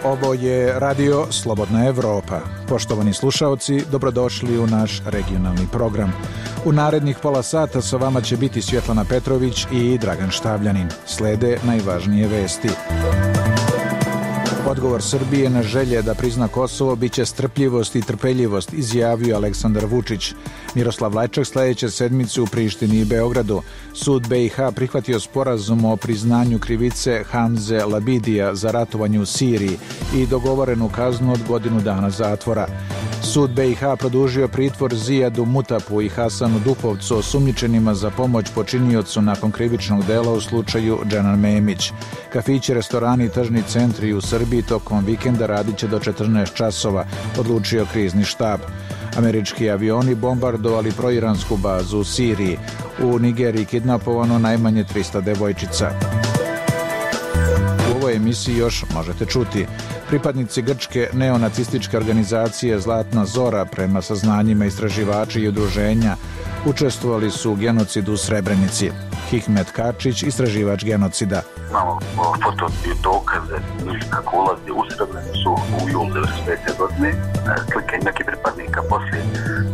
Ovo je Radio Slobodna Evropa. Poštovani slušaoci, dobrodošli u naš regionalni program. U narednih pola sata sa vama će biti Svjetlana Petrović i Dragan Štavljanin. Slede najvažnije vesti. Odgovor Srbije na želje da prizna Kosovo biće strpljivost i trpeljivost, izjavio Aleksandar Vučić. Miroslav Lajčak sljedeće sedmice u Prištini i Beogradu. Sud BiH prihvatio sporazum o priznanju krivice Hamze Labidija za ratovanje u Siriji i dogovorenu kaznu od godinu dana zatvora. Sud BiH produžio pritvor Zijadu Mutapu i Hasanu Dupovcu, osumnjičenima za pomoć počiniocu nakon krivičnog dela u slučaju Dženan Memić. Kafići, restorani i tržni centri u Srbiji tokom vikenda radit će do 14 časova, odlučio krizni štab. Američki avioni bombardovali proiransku bazu u Siriji. U Nigeriji kidnapovano najmanje 300 devojčica. U ovoj emisiji još možete čuti. Pripadnici grčke neonacističke organizacije Zlatna Zora, prema saznanjima istraživača i udruženja, učestvovali su u genocidu u Srebrenici. Hikmet Kačić, istraživač genocida. Imamo foto i dokaze kako ulazi u Srebrenicu u julu 1995. godine. Slike nekih pripadnika poslije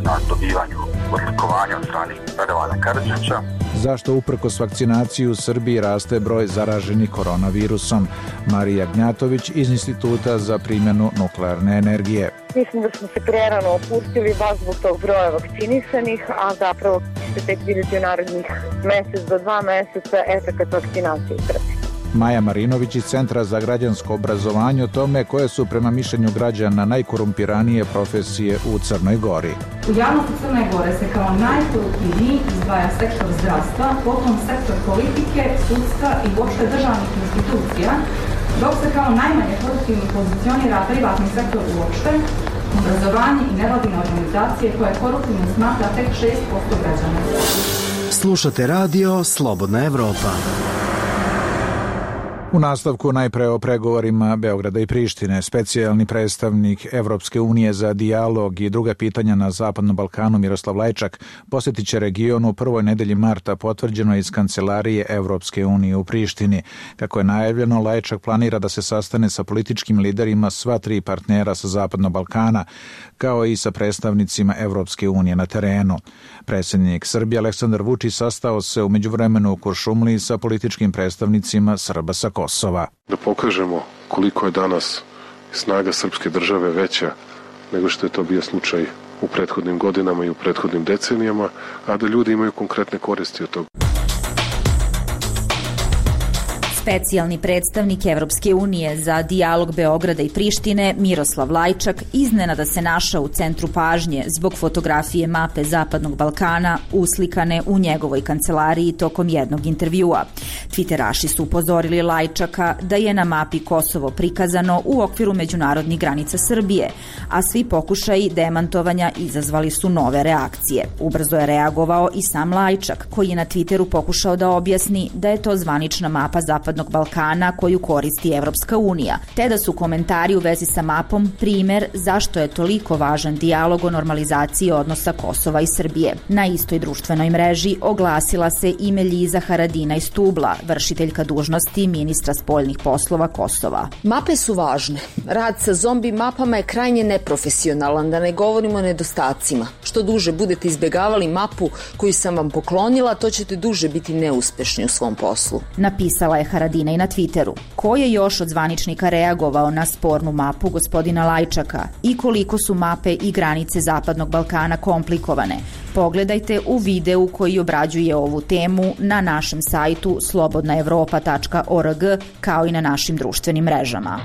na dobivanju odlikovanja od strane Radovana Karadžića. Zašto uprkos vakcinaciji u Srbiji raste broj zaraženih koronavirusom? Marija Gnjatović iz Instituta za primjenu nuklearne energije. Mislim da smo se prerano opustili baš zbog tog broja vakcinisanih, a zapravo će se tek vidjeti u narednih mesec do 2 meseca efekat vakcinacije u Srbiji. Maja Marinović iz Centra za građansko obrazovanje o tome koje su prema mišljenju građana najkorumpiranije profesije u Crnoj Gori. U javnosti Crne Gore se kao najkoruptivniji izdvaja sektor zdravstva, potom sektor politike, sudstva i uopšte državnih institucija, dok se kao najmanje koruptivni pozicionira privatni sektor uopšte, obrazovanje i nevladine organizacije koje koruptivno smatra tek 6% građana. Slušate radio Slobodna Evropa. U nastavku najpre o pregovorima Beograda i Prištine. Specijalni predstavnik Evropske unije za dijalog i druga pitanja na Zapadnom Balkanu Miroslav Lajčak posjetit će region u prvoj nedelji marta, potvrđeno iz kancelarije Evropske unije u Prištini. Kako je najavljeno, Lajčak planira da se sastane sa političkim liderima sva 3 partnera sa Zapadnog Balkana, kao i sa predstavnicima Evropske unije na terenu. Predsjednik Srbije Aleksandar Vučić sastao se u međuvremenu u Kuršumliji sa političkim predstavnicima Srba sa Kosova. Da pokažemo koliko je danas snaga srpske države veća nego što je to bio slučaj u prethodnim godinama i u prethodnim decenijama, a da ljudi imaju konkretne koristi od toga. Specijalni predstavnik Evropske unije za dijalog Beograda i Prištine Miroslav Lajčak iznenada se našao u centru pažnje zbog fotografije mape Zapadnog Balkana uslikane u njegovoj kancelariji tokom jednog intervjua. Twitteraši su upozorili Lajčaka da je na mapi Kosovo prikazano u okviru međunarodnih granica Srbije, a svi pokušaji demantovanja izazvali su nove reakcije. Ubrzo je reagovao i sam Lajčak, koji je na Twitteru pokušao da objasni da je to zvanična mapa Zapadnog Balkana koju koristi Evropska unija, te da su komentari u vezi sa mapom primer zašto je toliko važan dijalog o normalizaciji odnosa Kosova i Srbije. Na istoj društvenoj mreži oglasila se i Meljiza Haradinaj Stubla, vršiteljka dužnosti ministra spoljnih poslova Kosova. Mape su važne. Rad sa zombi mapama je krajnje neprofesionalan, da ne govorimo o nedostacima. Što duže budete izbjegavali mapu koju sam vam poklonila, to ćete duže biti neuspešni u svom poslu. Napisala je Haradinaj na Twitteru. Ko je još od zvaničnika reagovao na spornu mapu gospodina Lajčaka i koliko su mape i granice Zapadnog Balkana komplikovane? Pogledajte u videu koji obrađuje ovu temu na našem sajtu slobodnaevropa.org kao i na našim društvenim mrežama.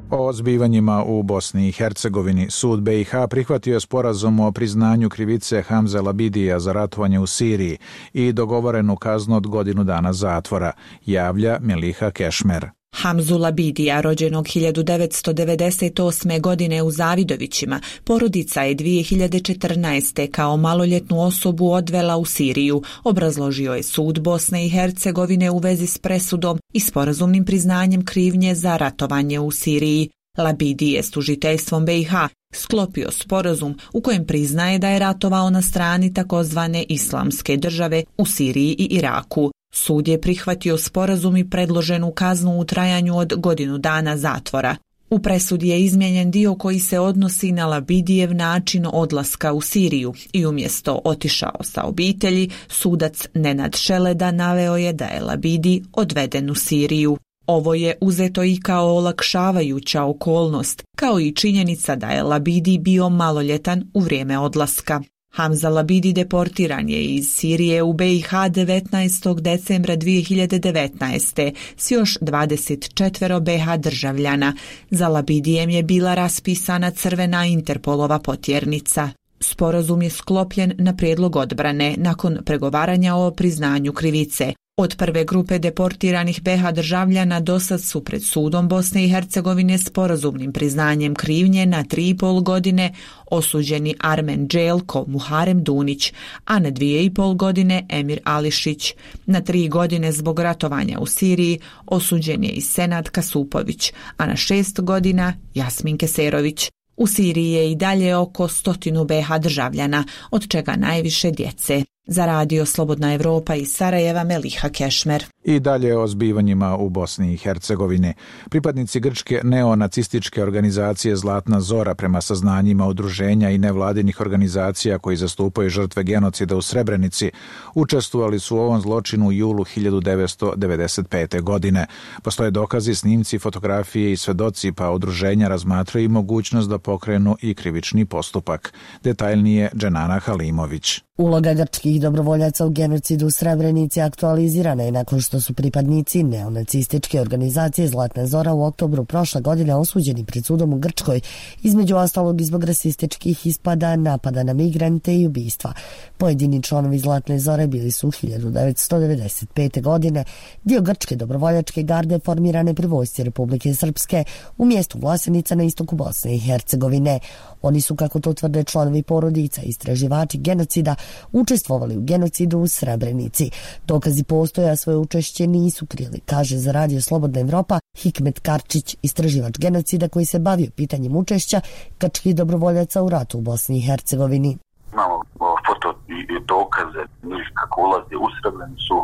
O zbivanjima u Bosni i Hercegovini Sud BiH prihvatio je sporazum o priznanju krivice Hamze Labidija za ratovanje u Siriji i dogovorenu kaznu od godinu dana zatvora, javlja Meliha Kešmer. Hamzu Labidija, rođenog 1998. godine u Zavidovićima, porodica je 2014. kao maloljetnu osobu odvela u Siriju, obrazložio je sud Bosne i Hercegovine u vezi s presudom i sporazumnim priznanjem krivnje za ratovanje u Siriji. Labidi je s tužiteljstvom BiH sklopio sporazum u kojem priznaje da je ratovao na strani takozvane islamske države u Siriji i Iraku. Sud je prihvatio sporazum i predloženu kaznu u trajanju od 1 godinu dana zatvora. U presudi je izmijenjen dio koji se odnosi na Labidijev način odlaska u Siriju i umjesto otišao sa obitelji, sudac Nenad Šeleda naveo je da je Labidi odveden u Siriju. Ovo je uzeto i kao olakšavajuća okolnost, kao i činjenica da je Labidi bio maloljetan u vrijeme odlaska. Hamza Labidi deportiran je iz Sirije u BiH 19. decembra 2019. s još 24 BiH državljana. Za Labidijem je bila raspisana crvena Interpolova potjernica. Sporazum je sklopljen na prijedlog odbrane nakon pregovaranja o priznanju krivice. Od prve grupe deportiranih BiH državljana dosad su pred sudom Bosne i Hercegovine sporazumnim priznanjem krivnje na 3,5 godine osuđeni Armen Đelko Muharem Dunić, a na 2,5 godine Emir Ališić. Na 3 godine zbog ratovanja u Siriji osuđen je i Senad Kasupović, a na 6 godina Jasmin Keserović. U Siriji je i dalje oko 100 BiH državljana, od čega najviše djece. Za radio Slobodna Evropa iz Sarajeva, Meliha Kešmer. I dalje o zbivanjima u Bosni i Hercegovini. Pripadnici grčke neonacističke organizacije Zlatna Zora, prema saznanjima udruženja i nevladinih organizacija koji zastupaju žrtve genocida u Srebrenici, učestvovali su u ovom zločinu u julu 1995. godine. Postoje dokazi, snimci, fotografije i svedoci, pa udruženja razmatraju mogućnost da pokrenu i krivični postupak. Detaljnije Dženana Halimović. Uloga grčkih dobrovoljaca u genocidu u Srebrenici aktualizirana je nakon što su pripadnici neonacističke organizacije Zlatna Zora u oktobru prošle godine osuđeni pred sudom u Grčkoj, između ostalog i zbog rasističkih ispada, napada na migrante i ubistva. Pojedini članovi Zlatne Zore bili su 1995. godine dio grčke dobrovoljačke garde formirane pri vojsci Republike Srpske u mjestu Vlasenica na istoku Bosne i Hercegovine. Oni su, kako to tvrde članovi porodica i istraživači genocida, učestvovali u genocidu u Srebrenici. Dokazi postoje, a svoje učešće nisu krili, kaže za radio Slobodna Evropa Hikmet Karčić, istraživač genocida koji se bavio pitanjem učešća grčkih dobrovoljaca u ratu u Bosni i Hercegovini. Imamo foto i dokaze njih kako ulaze u Srebrenicu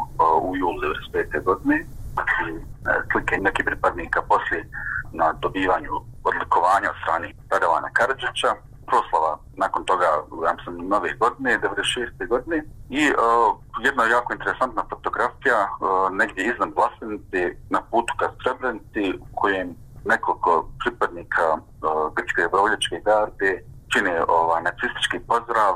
u julu 1995. godine. Slike nekih pripadnika poslije na dobivanju odlikovanja od strane Radovana Karadžića, proslava nakon toga, ja sam nove godine, 96. godine, i jedna jako interesantna fotografija negdje iznad Vlasenice na putu ka Srebrenici u kojem nekoliko pripadnika grčke dobrovoljačke garde čine nacistički pozdrav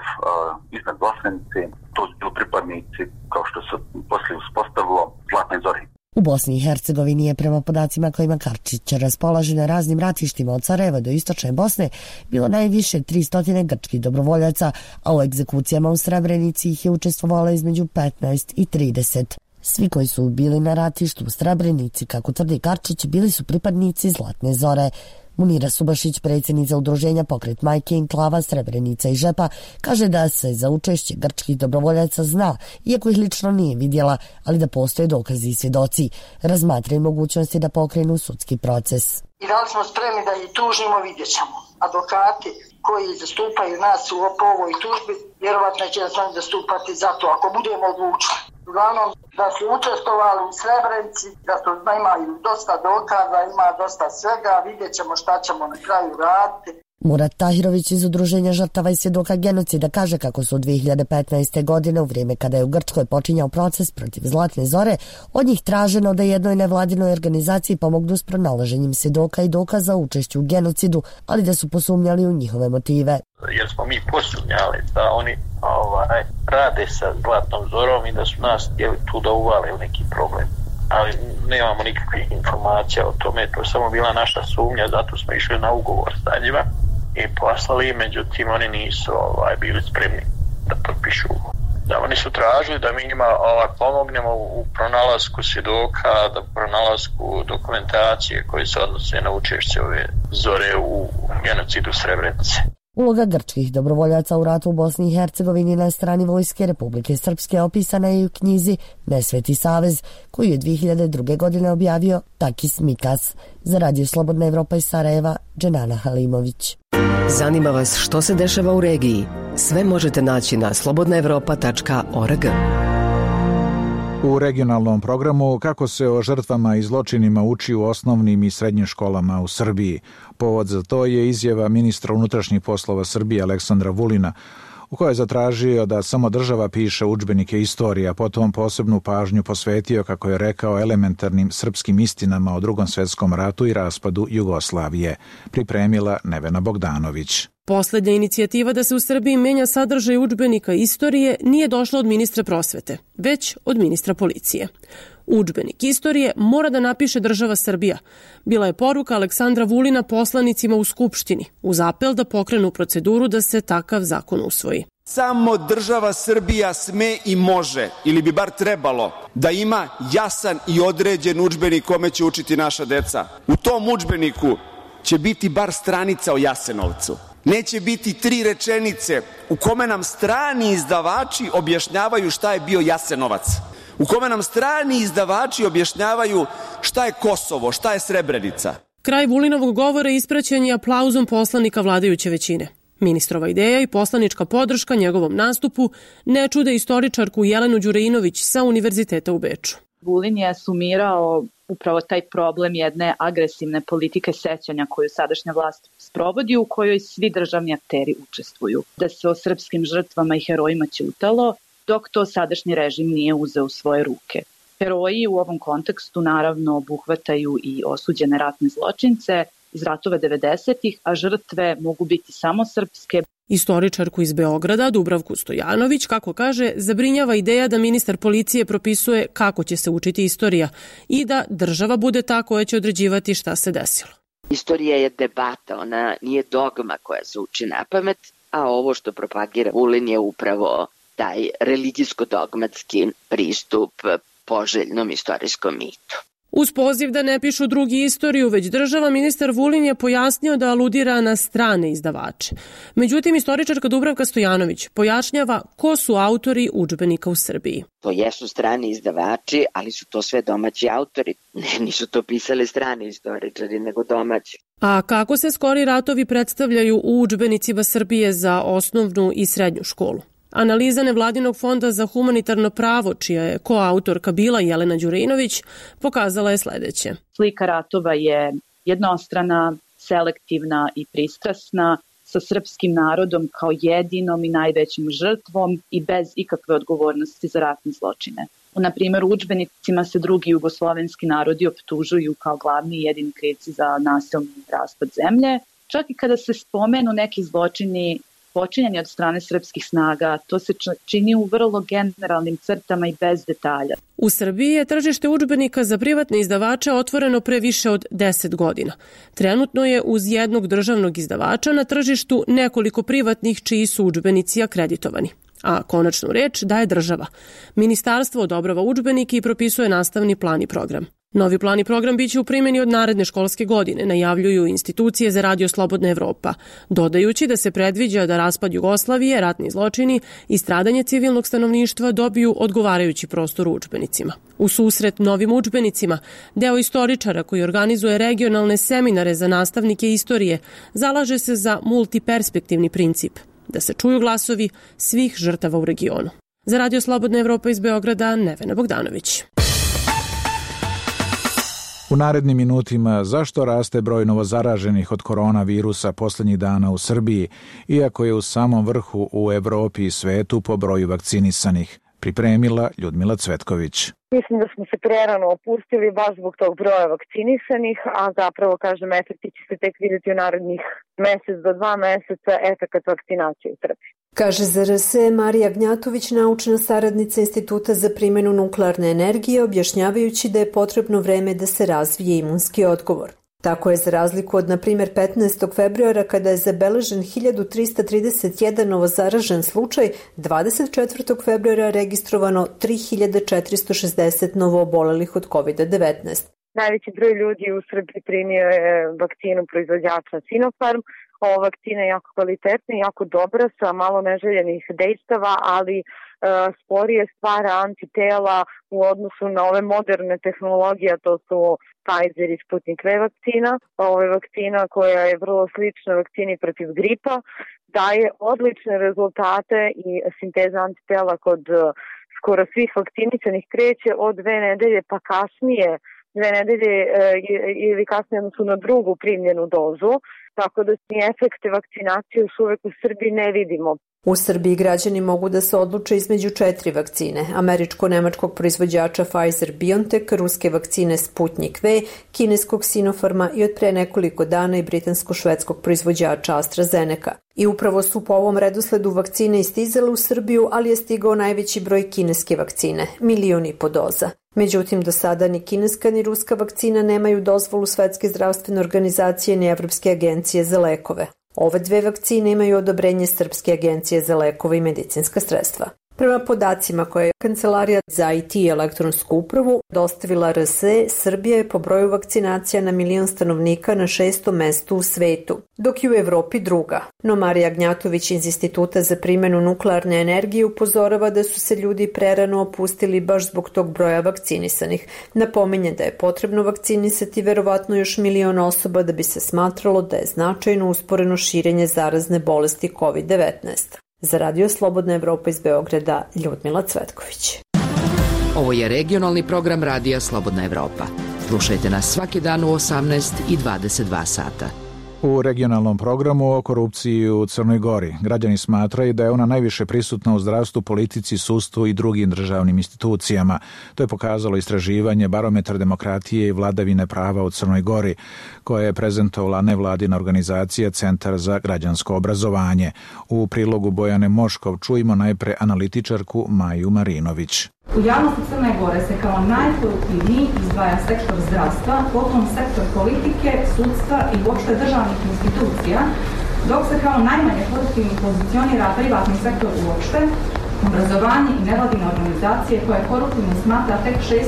iznad Vlasenice. To su bili pripadnici, kao što se poslije uspostavilo, Zlatne Zore. U Bosni i Hercegovini je, prema podacima kojima Karčić raspolaže, na raznim ratištima od Sarajeva do istočne Bosne bilo najviše 300 grčkih dobrovoljaca, a u egzekucijama u Srebrenici ih je učestvovalo između 15 i 30. Svi koji su bili na ratištu u Srebrenici, kako tvrdi Karčić, bili su pripadnici Zlatne Zore. Munira Subašić, predsjednica udruženja Pokret majke, Enklava, Srebrenica i Žepa, kaže da se za učešće grčkih dobrovoljaca zna, iako ih lično nije vidjela, ali da postoje dokazi i svjedoci. Razmatraju mogućnosti da pokrenu sudski proces. I da li smo spremni da ih tužimo, vidjet ćemo. Advokati koji zastupaju nas po ovoj tužbi vjerovatno će nas oni zastupati za to, ako budemo odlučili. Uglavnom, da su učestvovali u Srebrenici, da su imaju dosta dokaza, ima dosta svega, vidjet ćemo šta ćemo na kraju raditi. Murat Tahirović iz udruženja žrtava i svjedoka genocida kaže kako su 2015. godine, u vrijeme kada je u Grčkoj počinjao proces protiv Zlatne Zore, od njih traženo da jednoj nevladinoj organizaciji pomognu s pronalaženjem svjedoka i dokaza o učešću u genocidu, ali da su posumnjali u njihove motive. Jer smo mi posumnjali da oni rade sa Zlatnom Zorom i da su nas htjeli tu da uvale u neki problem. Ali nemamo nikakvih informacija o tome, to je samo bila naša sumnja, zato smo išli na ugovor sa njima i poslali, međutim oni nisu bili spremni da potpišu ugovor. Da, oni su tražili da mi njima pomognemo u pronalasku svjedoka, da pronalasku dokumentacije koje se odnose na učešće ove Zore u genocidu Srebrenice. Uloga grčkih dobrovoljaca u ratu u Bosni i Hercegovini na strani vojske Republike Srpske opisana je u knjizi Nesveti savez, koju je 2002. godine objavio Takis Mikas. Za radio Slobodna Evropa iz Sarajeva, Dženana Halimović. Zanima vas što se dešava u regiji? Sve možete naći na slobodnaevropa.org. U regionalnom programu kako se o žrtvama i zločinima uči u osnovnim i srednjim školama u Srbiji. Povod za to je izjava ministra unutrašnjih poslova Srbije Aleksandra Vulina, u kojoj je zatražio da samo država piše udžbenike istorije, a potom posebnu pažnju posvetio, kako je rekao, elementarnim srpskim istinama o Drugom svetskom ratu i raspadu Jugoslavije. Pripremila Nevena Bogdanović. Poslednja inicijativa da se u Srbiji menja sadržaj udžbenika istorije nije došla od ministra prosvete, već od ministra policije. Udžbenik istorije mora da napiše država Srbija. Bila je poruka Aleksandra Vulina poslanicima u Skupštini, uz apel da pokrenu proceduru da se takav zakon usvoji. Samo država Srbija sme i može, ili bi bar trebalo, da ima jasan i određen udžbenik kome će učiti naša deca. U tom udžbeniku će biti bar stranica o Jasenovcu. Neće biti 3 rečenice u kome nam strani izdavači objašnjavaju šta je bio Jasenovac, u kome nam strani izdavači objašnjavaju šta je Kosovo, šta je Srebrenica. Kraj Vulinovog govora ispraćen je aplauzom poslanika vladajuće većine. Ministrova ideja i poslanička podrška njegovom nastupu ne čude istoričarku Jelenu Đureinović sa Univerziteta u Beču. Vulin je sumirao upravo taj problem jedne agresivne politike sećanja koju sadašnja vlast sprovodi, u kojoj svi državni akteri učestvuju. Da se o srpskim žrtvama i herojima ćutalo, dok to sadašnji režim nije uzeo u svoje ruke. Heroji u ovom kontekstu naravno obuhvataju i osuđene ratne zločince iz ratova 90-ih, a žrtve mogu biti samo srpske. Istoričarku iz Beograda, Dubravku Stojanović, kako kaže, zabrinjava ideja da ministar policije propisuje kako će se učiti istorija i da država bude ta koja će određivati šta se desilo. Istorija je debata, ona nije dogma koja se uči napamet, a ovo što propagira Vulin je upravo taj religijsko-dogmatski pristup poželjnom istorijskom mitu. Uz poziv da ne pišu drugi istoriju, već država, ministar Vulin je pojasnio da aludira na strane izdavače. Međutim, istoričarka Dubravka Stojanović pojašnjava ko su autori udžbenika u Srbiji. To jesu strani izdavači, ali su to sve domaći autori. Nisu to pisali strani istoričari, nego domaći. A kako se skori ratovi predstavljaju u udžbenicima Srbije za osnovnu i srednju školu? Analiza Nevladinog fonda za humanitarno pravo, čija je koautorka bila Jelena Đureinović, pokazala je sledeće. Slika ratova je jednostrana, selektivna i pristrasna, sa srpskim narodom kao jedinom i najvećim žrtvom i bez ikakve odgovornosti za ratne zločine. Na primjer, u udžbenicima se drugi jugoslovenski narodi optužuju kao glavni i jedini krivci za nasilni raspad zemlje. Čak i kada se spomenu neki zločini počinjeni od strane srpskih snaga, to se čini u vrlo generalnim crtama i bez detalja. U Srbiji je tržište udžbenika za privatne izdavače otvoreno pre više od 10 godina. Trenutno je uz jednog državnog izdavača na tržištu nekoliko privatnih čiji su udžbenici akreditovani. A konačnu reč daje država. Ministarstvo odobrava udžbenike i propisuje nastavni plan i program. Novi plan i program biće u primjeni od naredne školske godine, najavljuju institucije za Radio Slobodna Evropa, dodajući da se predviđa da raspad Jugoslavije, ratni zločini i stradanje civilnog stanovništva dobiju odgovarajući prostor u udžbenicima. U susret novim udžbenicima, deo istoričara koji organizuje regionalne seminare za nastavnike istorije zalaže se za multiperspektivni princip, da se čuju glasovi svih žrtava u regionu. Za Radio Slobodna Evropa iz Beograda, Nevena Bogdanović. U narednim minutima zašto raste broj novozaraženih od koronavirusa poslednjih dana u Srbiji, iako je u samom vrhu u Evropi i svetu po broju vakcinisanih, pripremila Ljudmila Cvetković. Mislim da smo se prerano opustili baš zbog tog broja vakcinisanih, a zapravo, kažem, efekti će se tek vidjeti u narednih mesec do 2 meseca efekat vakcinacije u Srbiji. Kaže za RS Marija Gnjatović, naučna saradnica Instituta za primjenu nuklearne energije, objašnjavajući da je potrebno vreme da se razvije imunski odgovor. Tako je za razliku od, na primjer, 15. februara kada je zabeležen 1331 novozaražen slučaj, 24. februara registrovano 3460 novoobolelih od COVID-19. Najveći broj ljudi u Srbiji primio je vakcinu proizvođača Sinopharm. Ova vakcina je jako kvalitetna i jako dobra sa malo neželjenih dejstava, ali sporije stvara antitela u odnosu na ove moderne tehnologije, to su Pfizer i Sputnik V vakcina. Ova je vakcina koja je vrlo slična vakcini protiv gripa, daje odlične rezultate i sinteza antitela kod skoro svih vakcinisanih kreće od 2 nedelje pa kasnije, 2 nedelje ili kasnije odnosno na drugu primljenu dozu, tako da ni efekte vakcinacije još uvek u Srbiji ne vidimo. U Srbiji građani mogu da se odluče između 4 vakcine, američko-nemačkog proizvođača Pfizer-BioNTech, ruske vakcine Sputnik V, kineskog Sinopharma i od pre nekoliko dana i britansko-švedskog proizvođača AstraZeneca. I upravo su po ovom redosledu vakcine istizale u Srbiju, ali je stigao najveći broj kineske vakcine, 1,5 miliona doza. Međutim, do sada ni kineska ni ruska vakcina nemaju dozvolu Svetske zdravstvene organizacije ni Evropske agencije za lekove. Ove 2 vakcine imaju odobrenje Srpske agencije za lekove i medicinska sredstva. Prema podacima koje je Kancelarija za IT i elektronsku upravu dostavila RSE, Srbija je po broju vakcinacija na 1 milion stanovnika na 6. mestu u svetu, dok je u Evropi druga. No Marija Gnjatović iz Instituta za primjenu nuklearne energije upozorava da su se ljudi prerano opustili baš zbog tog broja vakcinisanih. Napominje da je potrebno vakcinisati verovatno još 1 milion osoba da bi se smatralo da je značajno usporeno širenje zarazne bolesti COVID-19. Za Radio Slobodna Evropa iz Beograda, Ljudmila Cvetković. Ovo je regionalni program Radija Slobodna Evropa. Slušajte nas svaki dan u 18 i 22 sata. U regionalnom programu o korupciji u Crnoj Gori građani smatraju da je ona najviše prisutna u zdravstvu, politici, sudstvu i drugim državnim institucijama. To je pokazalo istraživanje Barometar demokratije i vladavine prava u Crnoj Gori, koje je prezentovala nevladina organizacija Centar za građansko obrazovanje. U prilogu Bojane Moškov čujemo najpre analitičarku Maju Marinović. U javnosti Crne Gore se kao najkoruptivniji izdvaja sektor zdravstva, potom sektor politike, sudstva i uopšte državnih institucija, dok se kao najmanje koruptivni pozicionira privatni sektor uopšte, obrazovanje i nevladine organizacije koje koruptivno smatra tek 6%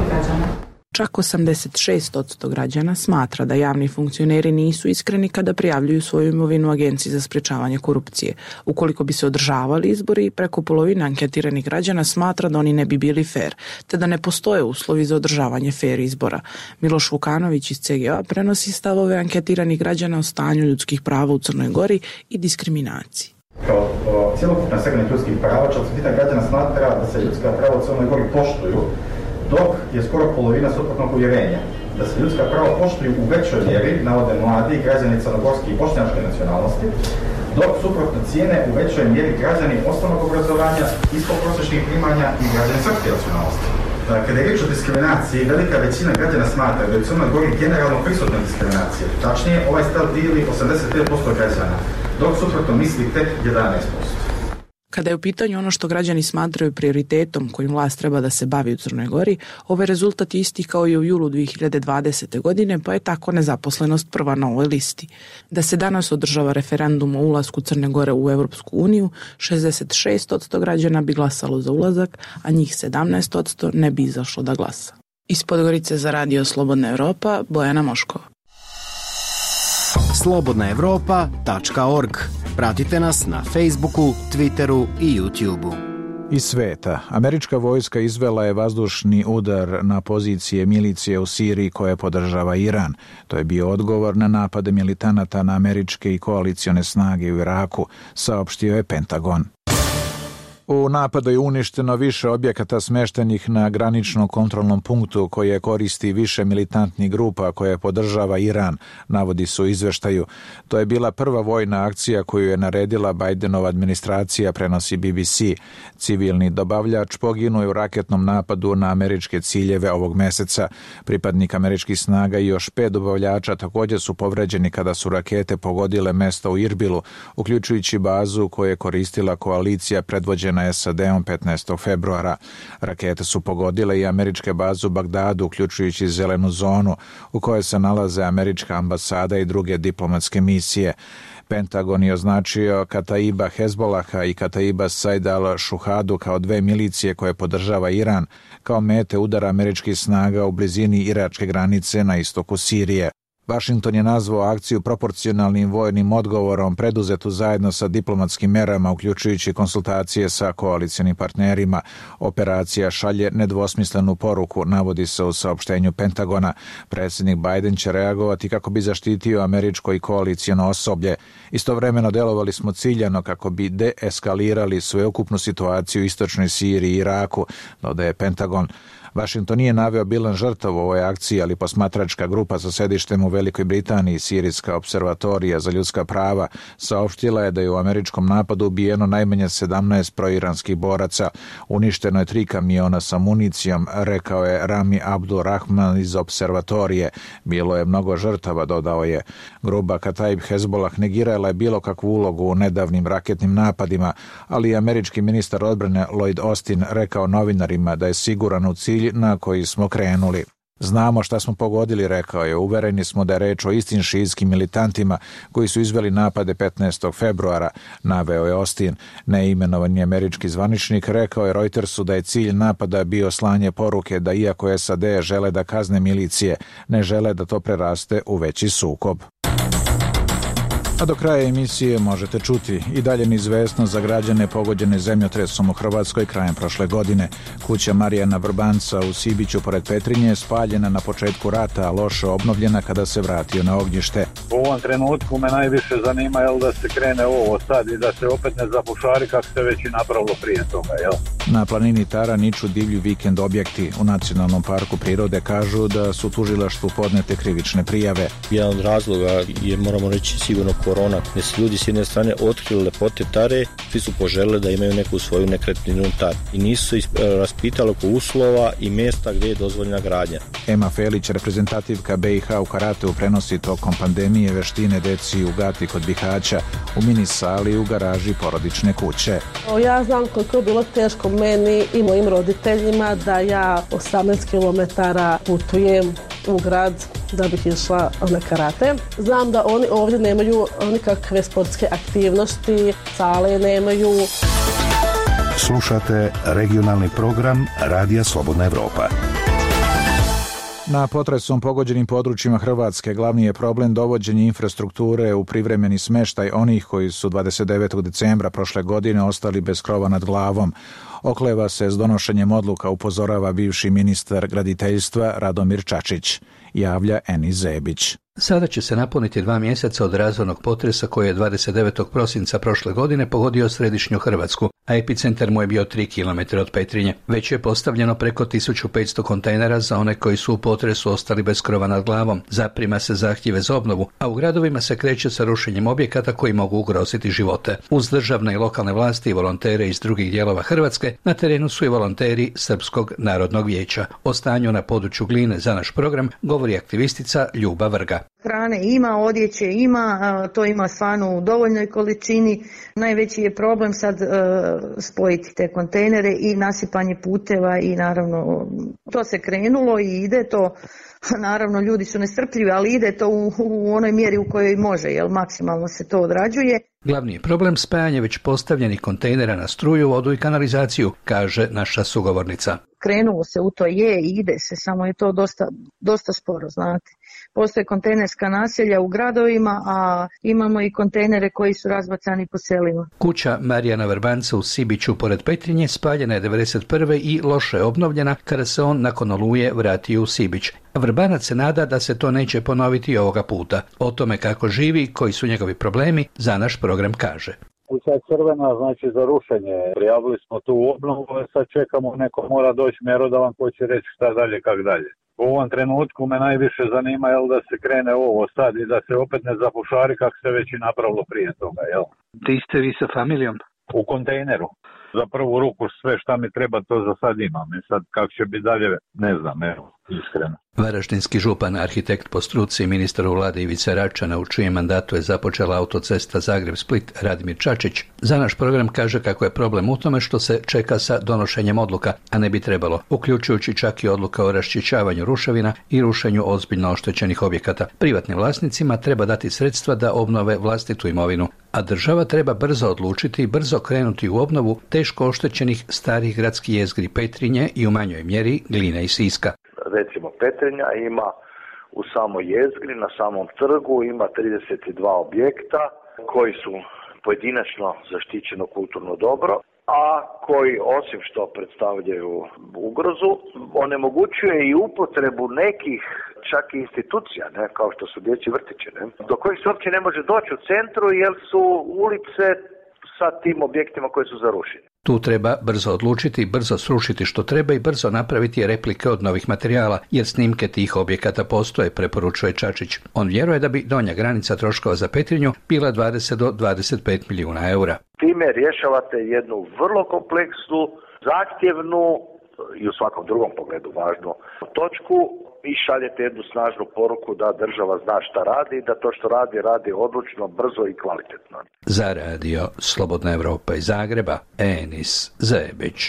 građana. Čak 86% građana smatra da javni funkcioneri nisu iskreni kada prijavljuju svoju imovinu Agenciji za sprečavanje korupcije. Ukoliko bi se održavali izbori, preko polovine anketiranih građana smatra da oni ne bi bili fer, te da ne postoje uslovi za održavanje fer izbora. Miloš Vukanović iz CGA prenosi stavove anketiranih građana o stanju ljudskih prava u Crnoj Gori i diskriminaciji. Kao cjelokupna segment ljudskih prava, 1/4 građana smatra da se ljudska prava u Crnoj Gori poštuju, dok je skoro polovina suprotnog uvjerenja. Da se ljudska prava poštuju u većoj mjeri, navode mladi građani crnogorske i bošnjačke nacionalnosti, dok suprotno cijene u većoj mjeri građani osnovnog obrazovanja, ispodprosječnih primanja i građani srpske nacionalnosti. Kada je riječ o diskriminaciji, velika većina građana smatra da je u Crnoj Gori generalno prisutna diskriminacija. Tačnije, ovaj stav dijeli 85% građana, dok suprotno misli tek 11%. Kada je u pitanju ono što građani smatraju prioritetom kojim vlast treba da se bavi u Crnoj Gori, ovaj rezultat je isti kao i u julu 2020. godine, pa je tako nezaposlenost prva na ovoj listi. Da se danas održava referendum o ulasku Crne Gore u Evropsku uniju, 66% građana bi glasalo za ulazak, a njih 17% ne bi izašlo da glasa. Iz Podgorice za Radio Slobodna Evropa, Bojana Moškova. slobodnaevropa.org. Pratite nas na Facebooku, Twitteru i YouTubeu. Iz sveta, američka vojska izvela je vazdušni udar na pozicije milicije u Siriji koje podržava Iran. To je bio odgovor na napade militanata na američke i koalicione snage u Iraku, saopštio je Pentagon. U napadu je uništeno više objekata smeštenih na graničnom kontrolnom punktu koje koristi više militantnih grupa koje podržava Iran, navodi su u izveštaju. To je bila prva vojna akcija koju je naredila Bidenova administracija, prenosi BBC. Civilni dobavljač poginuo je u raketnom napadu na američke ciljeve ovog meseca. Pripadnik američkih snaga i još 5 dobavljača također su povređeni kada su rakete pogodile mesto u Irbilu, uključujući bazu koju je koristila koalicija predvođena SAD-om 15. februara. Rakete su pogodile i američke baze u Bagdadu, uključujući zelenu zonu u kojoj se nalaze američka ambasada i druge diplomatske misije. Pentagon je označio Kataiba Hezbolaha i Kataiba Said al-Shuhadu kao 2 milicije koje podržava Iran kao mete udara američkih snaga u blizini iračke granice na istoku Sirije. Washington je nazvao akciju proporcionalnim vojnim odgovorom preduzetu zajedno sa diplomatskim merama, uključujući konsultacije sa koalicionim partnerima. Operacija šalje nedvosmislenu poruku, navodi se u saopštenju Pentagona. Predsjednik Biden će reagovati kako bi zaštitio američko i koalicijono osoblje. Istovremeno delovali smo ciljano kako bi deeskalirali sveukupnu situaciju u istočnoj Siriji i Iraku, dodaje Pentagon. Washington nije naveo bilan žrtava u ovoj akciji, ali posmatračka grupa sa sedištem u Velikoj Britaniji, Sirijska observatorija za ljudska prava, saopštila je da je u američkom napadu ubijeno najmanje 17 proiranskih boraca. Uništeno je 3 kamiona sa municijom, rekao je Rami Abdul Rahman iz observatorije. Bilo je mnogo žrtava, dodao je. Grupa Kataib Hezbollah negirala je bilo kakvu ulogu u nedavnim raketnim napadima, ali američki ministar odbrane Lloyd Austin rekao novinarima da je siguran u cilj na koji smo krenuli. Znamo šta smo pogodili, rekao je. Uvereni smo da je reč o istim šijitskim militantima koji su izveli napade 15. februara, naveo je Austin. Neimenovani američki zvaničnik rekao je Reutersu da je cilj napada bio slanje poruke da iako SAD žele da kazne milicije, ne žele da to preraste u veći sukob. A do kraja emisije možete čuti i dalje neizvesno za građane pogođene zemljotresom u Hrvatskoj krajem prošle godine. Kuća Marijana Vrbanca u Sibiću pored Petrinje je spaljena na početku rata, a loše obnovljena kada se vratio na ognjište. U ovom trenutku me najviše zanima da se krene ovo sad i da se opet ne zabušari kako se već i napravilo prije toga. Na planini Tara niču divlji vikend objekti. U Nacionalnom parku prirode kažu da su tužilaštvu podnete krivične prijave. Jedan od razloga je, moramo reći, sigurno korona, gdje su ljudi s jedne strane otkrili lepote Tare, svi su poželjeli da imaju neku svoju nekretninu Tare i nisu se raspitali oko uslova i mjesta gdje je dozvoljena gradnja. Ema Felić, reprezentativka BiH u karateu, prenosi tokom pandemije veštine deci u Gati kod Bihaća, u mini sali u garaži porodične kuće. Ja znam koliko je bilo teško meni i mojim roditeljima da ja 18 km putujem u grad da bih išla na karate. Znam da oni ovdje nemaju nikakve sportske aktivnosti, sale nemaju. Slušate regionalni program Radija Slobodna Evropa. Na potresom pogođenim područjima Hrvatske glavni je problem dovođenje infrastrukture u privremeni smještaj onih koji su 29. decembra prošle godine ostali bez krova nad glavom. Okleva se s donošenjem odluka, upozorava bivši ministar graditeljstva Radomir Čačić. Javlja Eni Zebić. Sada će se napuniti 2 mjeseca od razornog potresa koji je 29. prosinca prošle godine pogodio središnju Hrvatsku, a epicentar mu je bio 3 km od Petrinje. Već je postavljeno preko 1500 kontejnera za one koji su u potresu ostali bez krova nad glavom. Zaprima se zahtjeve za obnovu, a u gradovima se kreće sa rušenjem objekata koji mogu ugroziti živote. Uz državne i lokalne vlasti i volontere iz drugih dijelova Hrvatske, na terenu su i volonteri Srpskog narodnog vijeća. O stanju na području Gline za naš program govori aktivistica Ljuba Vrga. Hrane ima, odjeće ima, to ima stvarno u dovoljnoj količini. Najveći je problem sad spojiti te kontejnere i nasipanje puteva i naravno to se krenulo i ide to. Naravno ljudi su nestrpljivi, ali ide to u onoj mjeri u kojoj može, jer maksimalno se to odrađuje. Glavni je problem spajanje već postavljenih kontejnera na struju, vodu i kanalizaciju, kaže naša sugovornica. Krenulo se u to i ide se, samo je to dosta sporo, znate. Postoje kontejnerska naselja u gradovima, a imamo i kontejnere koji su razbacani po selima. Kuća Marijana Vrbanca u Sibiću pored Petrinje spaljena je 1991. i loše je obnovljena kada se on nakon oluje vratio u Sibić. Vrbanac se nada da se to neće ponoviti ovoga puta. O tome kako živi, koji su njegovi problemi, za naš program kaže. Kuća je crvena, znači za rušenje. Prijavili smo tu obnovu, sad čekamo, neko mora doći mjerodavan koji će reći šta dalje, kak dalje. U ovom trenutku me najviše zanima da se krene ovo sad i da se opet ne zapušari kako se već i napravilo prije toga. Di ste vi sa familijom? U kontejneru. Za prvu ruku sve šta mi treba to za sad imam. I sad kako će biti dalje, ne znam, iskreno. Varaždinski župan, arhitekt po struci, ministar u vladi Ivice Račana, u čijem mandatu je započela autocesta Zagreb-Split, Radimir Čačić, za naš program kaže kako je problem u tome što se čeka sa donošenjem odluka, a ne bi trebalo, uključujući čak i odluka o raščišćavanju ruševina i rušenju ozbiljno oštećenih objekata. Privatnim vlasnicima treba dati sredstva da obnove vlastitu imovinu, a država treba brzo odlučiti i brzo krenuti u obnovu teško oštećenih starih gradskih jezgri Petrinje i u manjoj mjeri Gline i Siska. Recimo Petrinja ima u samoj jezgri, na samom trgu ima 32 objekta koji su pojedinačno zaštićeno kulturno dobro, a koji osim što predstavljaju ugrozu, onemogućuje i upotrebu nekih čak i institucija, ne, kao što su dječji vrtići, ne, do kojih se uopće ne može doći u centru jer su ulice sa tim objektima koji su zarušeni. Tu treba brzo odlučiti, brzo srušiti što treba i brzo napraviti replike od novih materijala, jer snimke tih objekata postoje, preporučuje Čačić. On vjeruje da bi donja granica troškova za Petrinju bila 20 do 25 milijuna eura. Time rješavate jednu vrlo kompleksnu, zahtjevnu i u svakom drugom pogledu važnu točku i šaljete jednu snažnu poruku da država zna šta radi i da to što radi, radi odlučno, brzo i kvalitetno. Za radio Slobodna Evropa iz Zagreba, Enis Zebić.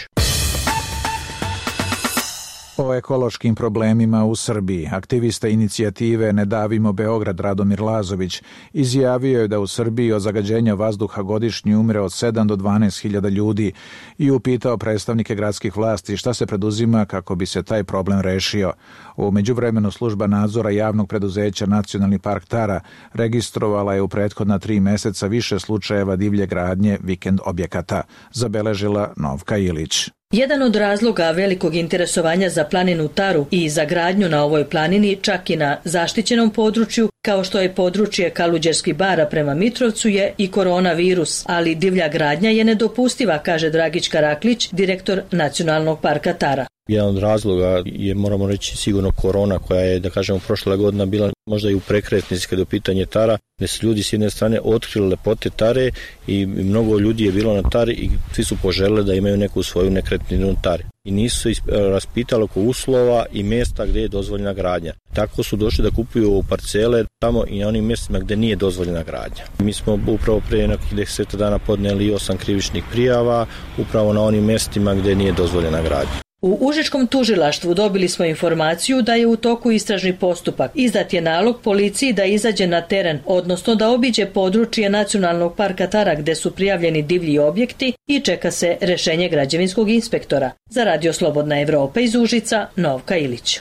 O ekološkim problemima u Srbiji aktivista inicijative Ne davimo Beograd Radomir Lazović izjavio je da u Srbiji od zagađenja vazduha godišnje umre od 7 do 12 hiljada ljudi i upitao predstavnike gradskih vlasti šta se preduzima kako bi se taj problem rešio. U međuvremenu služba nadzora javnog preduzeća Nacionalni park Tara registrovala je u prethodna 3 meseca više slučajeva divlje gradnje vikend objekata, zabeležila Novka Ilić. Jedan od razloga velikog interesovanja za planinu Taru i za gradnju na ovoj planini, čak i na zaštićenom području, kao što je područje Kaluđerskih bara prema Mitrovcu, je i koronavirus, ali divlja gradnja je nedopustiva, kaže Dragić Karaklić, direktor Nacionalnog parka Tara. Jedan od razloga je, moramo reći, sigurno korona koja je, da kažemo, prošla godina bila možda i u prekretnici kada je u pitanje Tara, gdje su ljudi s jedne strane otkrili lepote Tare i mnogo ljudi je bilo na Tari i svi su poželjeli da imaju neku svoju nekretninu na Tari. I nisu se raspitali oko uslova i mjesta gdje je dozvoljena gradnja. Tako su došli da kupuju parcele tamo i na onim mjestima gdje nije dozvoljena gradnja. Mi smo upravo prije nekih 10 dana podnijeli 8 krivičnih prijava upravo na onim mjestima gdje nije dozvoljena gradnja. U Užičkom tužilaštvu dobili smo informaciju da je u toku istražni postupak. Izdat je nalog policiji da izađe na teren, odnosno da obiđe područje Nacionalnog parka Tara gdje su prijavljeni divlji objekti i čeka se rješenje građevinskog inspektora. Za radio Slobodna Evropa iz Užica, Novka Ilić.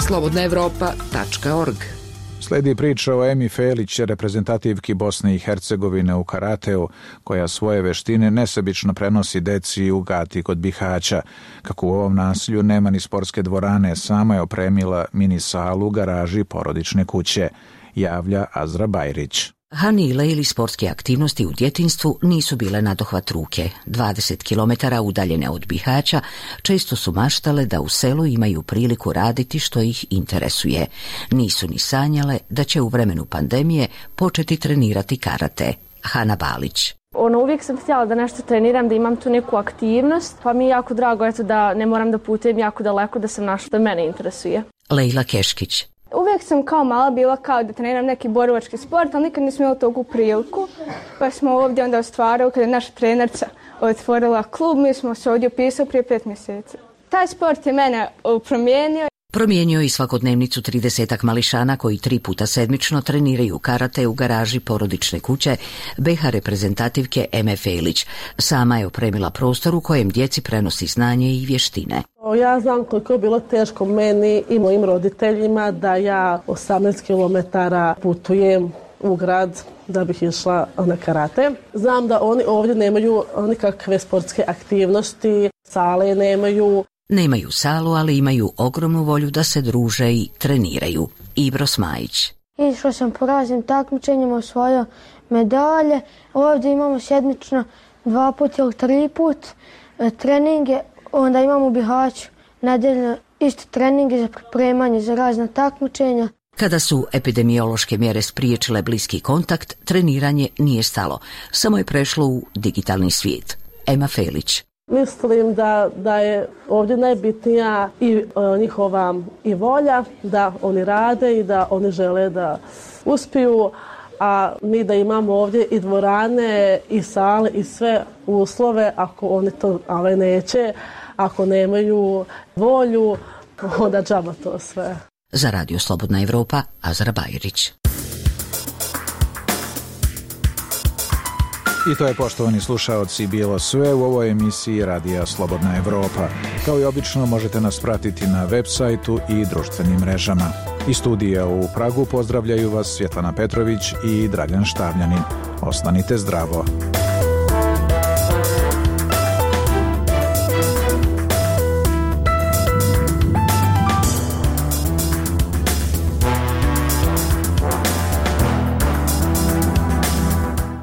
slobodnaevropa.org. Sledi priča o Emi Felić, reprezentativki Bosne i Hercegovine u karateu, koja svoje veštine nesebično prenosi deci u Gati kod Bihaća. Kako u ovom naselju nema ni sportske dvorane, sama je opremila mini salu u garaži porodične kuće, javlja Azra Bajrić. Hanile ili sportske aktivnosti u djetinjstvu nisu bile nadohvat ruke. 20 km udaljene od Bihaća često su maštale da u selu imaju priliku raditi što ih interesuje. Nisu ni sanjale da će u vremenu pandemije početi trenirati karate. Hana Balić. Uvijek sam htjela da nešto treniram, da imam tu neku aktivnost, pa mi je jako drago da ne moram da putujem jako daleko, da sam našla da mene interesuje. Lejla Keškić. Uvijek sam kao mala bila kao da treniram neki borilački sport, ali nikad nisam imala togu priliku. Pa smo ovdje onda ostvarili, kada je naša trenerca otvorila klub, mi smo se ovdje upisali prije 5 mjeseci. Taj sport je mene promijenio. Promijenio i svakodnevnicu 30 mališana koji 3 puta sedmično treniraju karate u garaži porodične kuće BH reprezentativke Eme Felić. Sama je opremila prostor u kojem djeci prenosi znanje i vještine. Ja znam koliko je bilo teško meni i mojim roditeljima da ja 18 km putujem u grad da bih išla na karate. Znam da oni ovdje nemaju nikakve sportske aktivnosti, sale nemaju. Nemaju salu, ali imaju ogromnu volju da se druže i treniraju. Ibro Smajić. Išla sam po raznim takmičenjima, osvojio medalje. Ovdje imamo sedmično 2 put ili 3 put treninge. Onda imamo u Bihaću nedeljno isto treninge za pripremanje za razna takmičenja. Kada su epidemiološke mjere spriječile bliski kontakt, treniranje nije stalo. Samo je prešlo u digitalni svijet. Ema Felić. Mislim da je ovdje najbitnija i njihova i volja da oni rade i da oni žele da uspiju, a mi da imamo ovdje i dvorane i sale i sve uslove, ako oni to neće, ako nemaju volju, onda džaba to sve. Za radio Slobodna Evropa, Azra Bajrić. I to je, poštovani slušaoci, bilo sve u ovoj emisiji Radija Slobodna Evropa. Kao i obično možete nas pratiti na web sajtu i društvenim mrežama. Iz studija u Pragu pozdravljaju vas Svjetlana Petrović i Dragan Štavljanin. Ostanite zdravo.